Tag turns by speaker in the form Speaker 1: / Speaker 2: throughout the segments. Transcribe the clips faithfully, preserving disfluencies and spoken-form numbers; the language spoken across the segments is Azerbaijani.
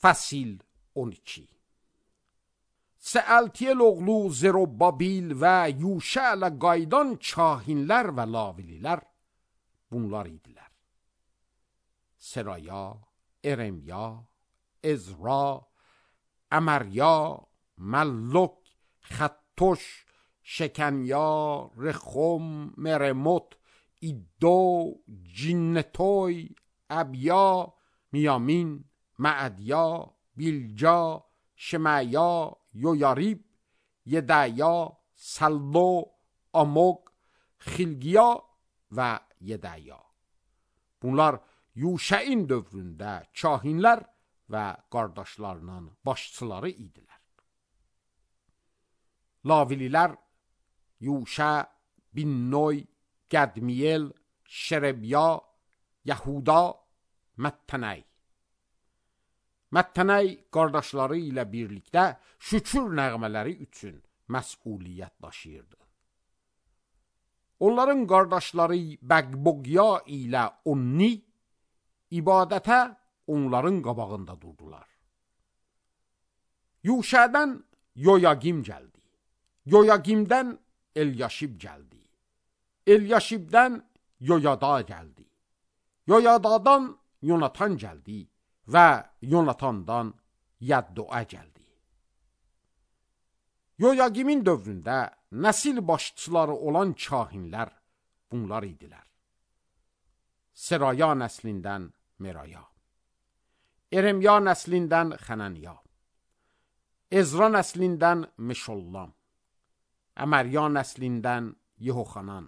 Speaker 1: Fəsil on iki. Səəltiyel oğlu Zerubabil və Yuşə ilə qaydan kahinlər və lavililər bunlar idilər. Seraya, Eremya, Ezra, Əmərya, Məlluk, Xəttoş, Şəkanya, Rexum, Meremot, İddo, Cinnetoy, Əbya, Miyamin, Məədya, Bilca, Şemaya, Yoyarib, Yedaya, Sallo, Amog, Xilgiya və Yedaya. Bunlar Yuşəin dövründə kahinlər və qardaşlarının başçıları idilər. Lavililər Yuşə, Binnoy, Qədmiyel, Şerebya, Yahuda, Məttənəy. Məttənəy qardaşları ilə birlikdə şükür nəğmələri üçün məsuliyyət daşıyırdı. Onların qardaşları Bəqboqya ilə Onni ibadətə onların qabağında durdular. Yuşədən Yoyagim gəldi. Yoyagimdən Elyaşib gəldi. Elyaşibdən Yoyada gəldi. Yoyadadan Yonatan gəldi və Yonatandan Yəddoə gəldi. Yoyagimin dövründə nəsil başçıları olan kahinlər bunlar idilər. Seraya nəslindən Meraya, Eremya nəslindən Xənəniya, Ezra nəslindən Meşollam, Əmərya nəslindən Yehoxanan,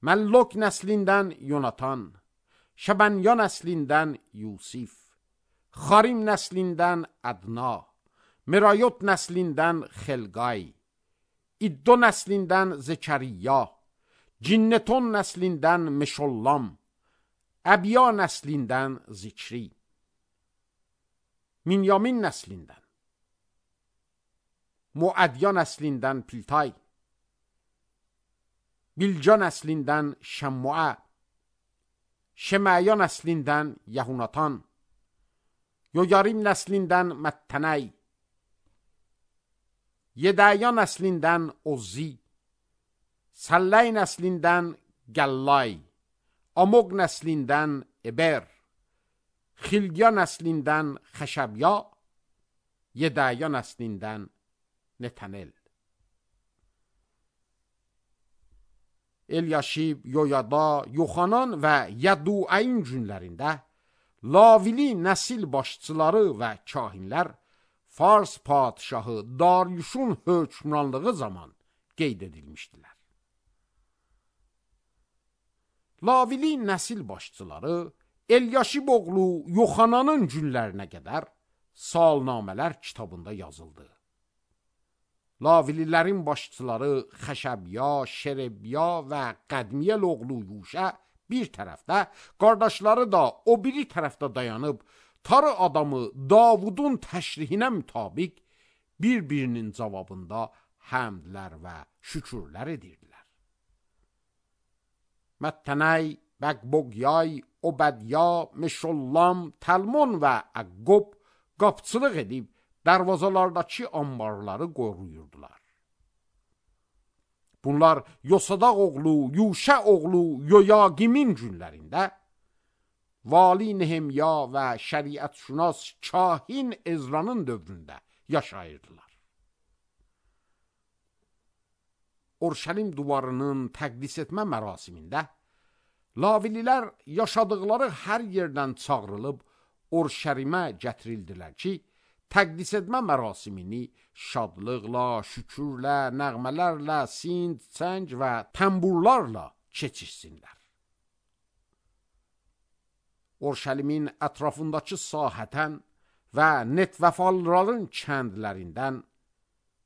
Speaker 1: Məlluk nəslindən Yonatan, Şəbənya nəslindən Yusif, Xarim nəslindən Ədna, Merayot nəslindən Xelqay, İddo nəslindən Zekəriya, Cinneton nəslindən Meşollam, Əbya nəslindən Zikri, Minyamin nəslindən, Muədya nəslindən Piltay, Bilca nəslindən Şəmmuə, Şemaya nəslindən Yahunatan, Yoyarim nəslindən Məttənəy, Yedaya nəslindən Ozzi, Səlləy nəslindən Gəllay, Amog nəslindən Eber, Xilgiya nəslindən Xəşəbya, Yedaya nəslindən Netanel. Elyaşib, Yoyada, Yoxanan və Yədduəyin günlərində Lavili nəsil başçıları və kahinlər Fars padişahı Daryuşun hökmranlığı zaman qeyd edilmişdilər. Lavili nəsil başçıları Elyaşib oğlu Yoxananın günlərinə qədər salnamələr kitabında yazıldı. Lavililərin başçıları Xəşəbya, Şerebya və Qədmiyel oğlu Yuşə bir tərəfdə, qardaşları da o biri tərəfdə dayanıb, tarı adamı Davudun təşrihinə mütabiq bir-birinin cavabında həmdlər və şükürlər edirdilər. Məttənəy, Bəqboqyay, Obədya, Meşollam, Təlmon və Əqqob qapçılıq edib, dərvazalardakı ambarları qoruyurdular. Bunlar Yosadaq oğlu, Yuşə oğlu Yoyagimin günlərində Vali Nehemya və şəriətşünas kahin Ezranın dövründə yaşayırdılar. Orşəlim divarının təqdis etmə mərasimində Lavililər yaşadıqları hər yerdən çağrılıb Orşəlimə gətirildilər ki, təqdis etmə mərasimini şadlıqla, şükürlə, nəğmələrlə, sind, çəng və təmburlarla keçirsinlər. Orşəlimin ətrafındakı sahətən və Netvəfalların kəndlərindən,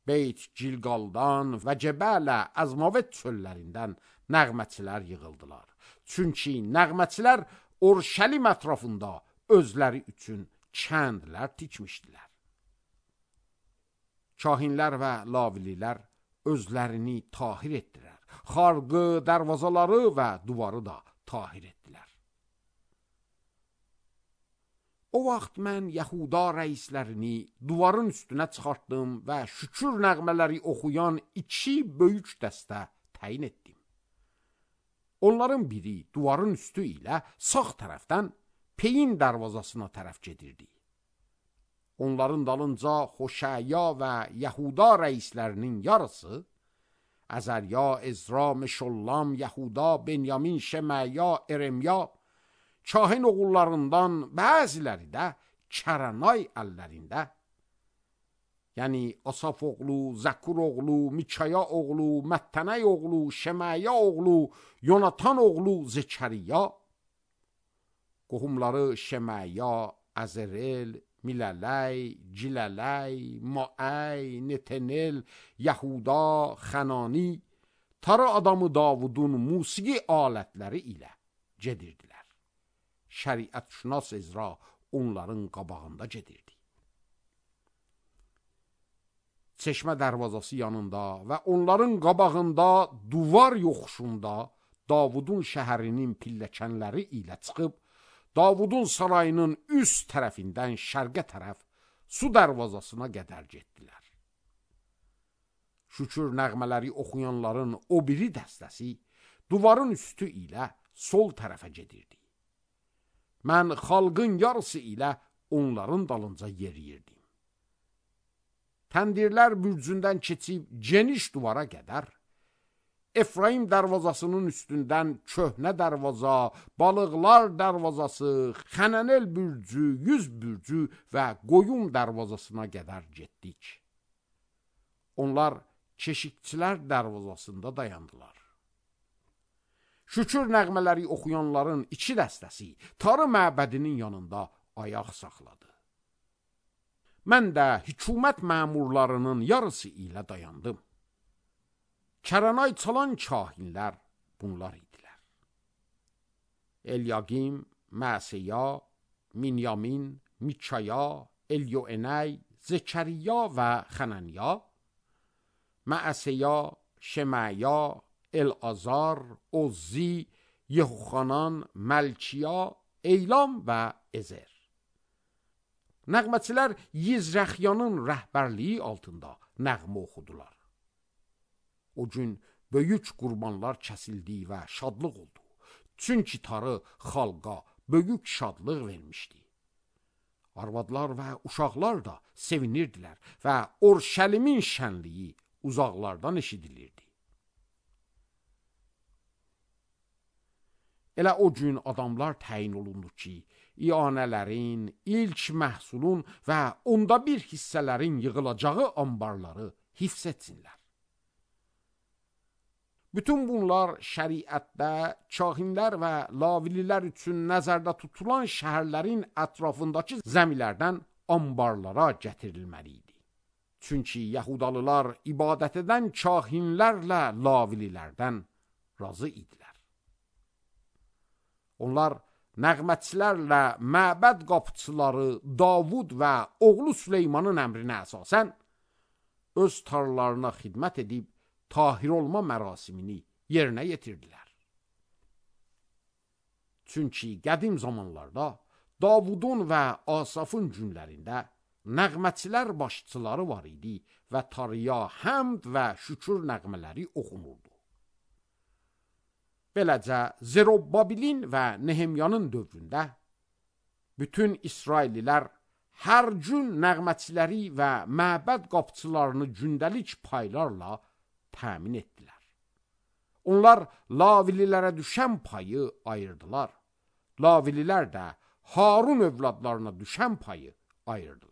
Speaker 1: Beyt Gilqaldan və Cəbələ Əzmavet çöllərindən nəğməçilər yığıldılar. Çünki nəğməçilər Orşəlim ətrafında özləri üçün kəndlər tikmişdilər. Kahinlər və lavililər özlərini tahir etdilər. Xarqı, dərvazaları və duvarı da tahir etdilər. O vaxt mən Yahuda rəislərini duvarın üstünə çıxartdım və şükür nəğmələri oxuyan iki böyük dəstə təyin etdim. Onların biri duvarın üstü ilə sağ tərəfdən Peyin darvazasına tərəf gedirdi. Onların dalınca Xoşaya və Yahuda rəislərinin yarısı, Əzərya, Ezra, Meşollam, Yahuda, Benyamin, Şeməya, Eremya, kahin oğullarından bəziləri də Kəranay əllərində, yəni Asaf oğlu, Zəkur oğlu, Mikaya oğlu, Məttənəy oğlu, Şeməya oğlu, Yonatan oğlu Zekəriya, qohumları Şeməya, Əzərel, Milələy, Cilələy, Maəy, Netenel, Yahuda, Xənani, tarı adamı Davudun musiqi alətləri ilə gedirdilər. Şəriətşünas Ezra onların qabağında gedirdi. Çeşmə darvazası yanında və onların qabağında duvar yoxuşunda Davudun şəhərinin pilləkənləri ilə çıxıb, Davudun sarayının üst tərəfindən şərqə tərəf su darvazasına qədər getdilər. Şükür nəğmələri oxuyanların o biri dəstəsi duvarın üstü ilə sol tərəfə gedirdi. Mən xalqın yarısı ilə onların dalınca yeriyirdim. Təndirlər bürcündən keçib geniş duvara qədər, Efraim darvazasının üstündən köhnə darvaza, balıqlar darvazası, Xənənel bürcü, yüz bürcü və qoyun darvazasına qədər getdik. Onlar keşikçilər darvazasında dayandılar. Şükür nəğmələri oxuyanların iki dəstəsi tarı məbədinin yanında ayaq saxladı. Mən də hükümət məmurlarının yarısı ilə dayandım. Kəranay çalan kahinlər bunlar idilər. Elyagim, Məsəya, Minyamin, Mikaya, Elyoenay, Zekəriya və Xənaniya, Məsəya, Şeməya, Elazar, Ozzi, Yehoxanan, Məlkiya, Eylam və Ezer. Nəğməçilər Yizrəxyanın rəhbərliyi altında nəğmə oxudular. O gün böyük qurbanlar kəsildi və şadlıq oldu. Çünki tarı xalqa böyük şadlıq vermişdi. Arvadlar və uşaqlar da sevinirdilər və Orşəlimin şənliyi uzaqlardan eşidilirdi. Elə o gün adamlar təyin olundu ki, iyanələrin, ilk məhsulun və onda bir hissələrin yığılacağı ambarları hifz etsinlər. Bütün bunlar şəriətdə kahinlər və lavililər üçün nəzərdə tutulan şəhərlərin ətrafındakı zəmilərdən ambarlara gətirilməli idi. Çünki Yahudalılar ibadət edən kahinlərlə lavililərdən razı idilər. Onlar nəğmətçilərlə məbəd qapıçıları Davud və oğlu Süleymanın əmrinə əsasən öz tarlalarına xidmət edib tahir olma mərasimini yerinə yetirdilər. Çünki qədim zamanlarda Davudun və Asafın günlərində nəğmətçilər başçıları var idi və tarıya həmd və şükür nəğmələri oxunurdu. Beləcə, Zerubbabelin və Nehemyanın dövründə bütün İsraillilər hər gün nəğmətçiləri və məbəd qapıçılarını gündəlik paylarla təmin etdilər. Onlar lavililərə düşən payı ayırdılar. Lavililər də Harun övladlarına düşən payı ayırdılar.